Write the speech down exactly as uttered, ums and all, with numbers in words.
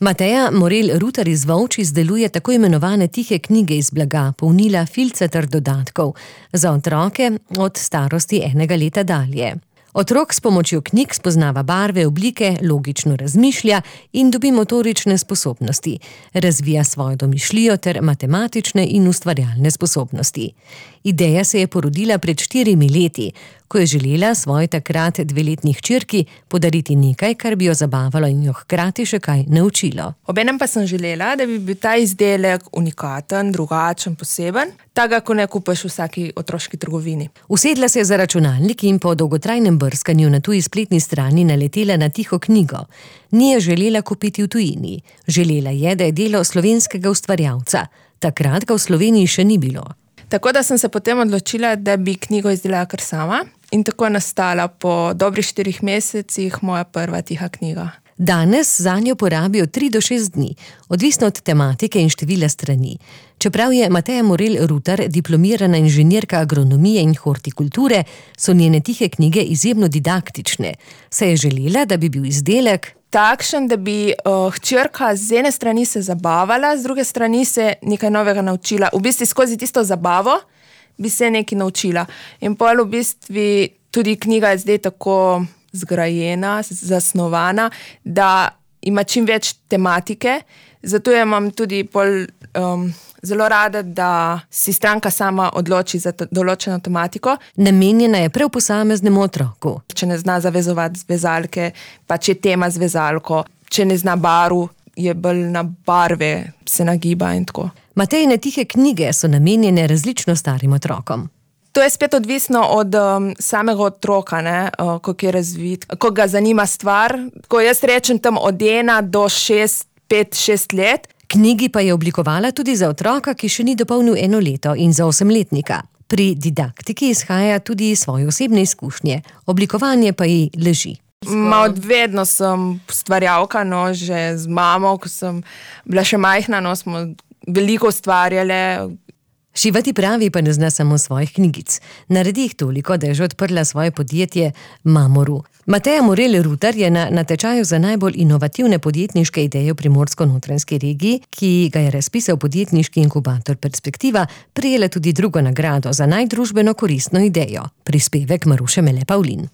Mateja Morel Rutar iz Volč izdeluje tako imenovane tihe knjige iz blaga, polnila, filce ter dodatkov za otroke od starosti enega leta dalje. Otrok s pomočjo knjig spoznava barve, oblike, logično razmišlja in dobi motorične sposobnosti, razvija svojo domišljijo ter matematične in ustvarjalne sposobnosti. Ideja se je porodila pred štirimi leti, ko je želela svoji takrat dveletni hčerki podariti nekaj, kar bi jo zabavalo in jo hkrati še kaj naučilo. Obenem pa sem želela, da bi bil ta izdelek unikaten, drugačen, poseben, takega, ko ne kupiš v vsaki otroški trgovini. Usedla se je za računalnik in po dolgotrajnem brskanju na tuji spletni strani naletela na tiho knjigo. Ni je želela kupiti v tujini. Želela je, da je delo slovenskega ustvarjalca. Takrat ga v Sloveniji še ni bilo. Tako da sem se potem odločila, da bi knjigo izdelala kar sama in tako je nastala po dobrih štirih mesecih moja prva tiha knjiga. Danes zanjo porabijo tri do šest dni, odvisno od tematike in števila strani. Čeprav je Mateja Morel Rutar diplomirana inženirka agronomije in hortikulture, so njene tihe knjige izjemno didaktične. Se je želela, da bi bil izdelek takšen, da bi uh, hčerka z ene strani se zabavala, z druge strani se nekaj novega naučila. V bistvu skozi tisto zabavo bi se nekaj naučila. In pol v bistvu tudi knjiga je zdaj tako zgrajena, zasnovana, da ima čim več tematike. Zato jo imam tudi pol um, zelo rada, da si stranka sama odloči za določeno tematiko. Namenjena je prav posameznemu otroku. Če ne zna zavezovati vezalke, pa če je tema z vezalko, če ne zna barv, je bolj na barve, se nagiba in tako. Matejine tihe knjige so namenjene različno starim otrokom. To je spet odvisno od um, samega otroka, ne, uh, kako je razvit, kako ga zanima stvar. Ko jaz rečem tam od ena do šest, pet, šest let. Knjigi pa je oblikovala tudi za otroka, ki še ni dopolnil eno leto, in za osemletnika. Pri didaktiki izhaja tudi svoje osebne izkušnje, oblikovanje pa ji leži. Ma od vedno sem ustvarjalka, no, že z mamo, ko sem bila še majhna, no, smo veliko ustvarjale. Šivati pravi pa ne zna samo svojih knjigic. Naredi jih toliko, da je že odprla svoje podjetje Mamoru. Mateja Morel Rutar je na natečaju za najbolj inovativne podjetniške ideje v Primorsko-notranjski regiji, ki ga je razpisal podjetniški inkubator Perspektiva, prejela tudi drugo nagrado za najdružbeno koristno idejo. Prispevek Maruše Mele Pavlin.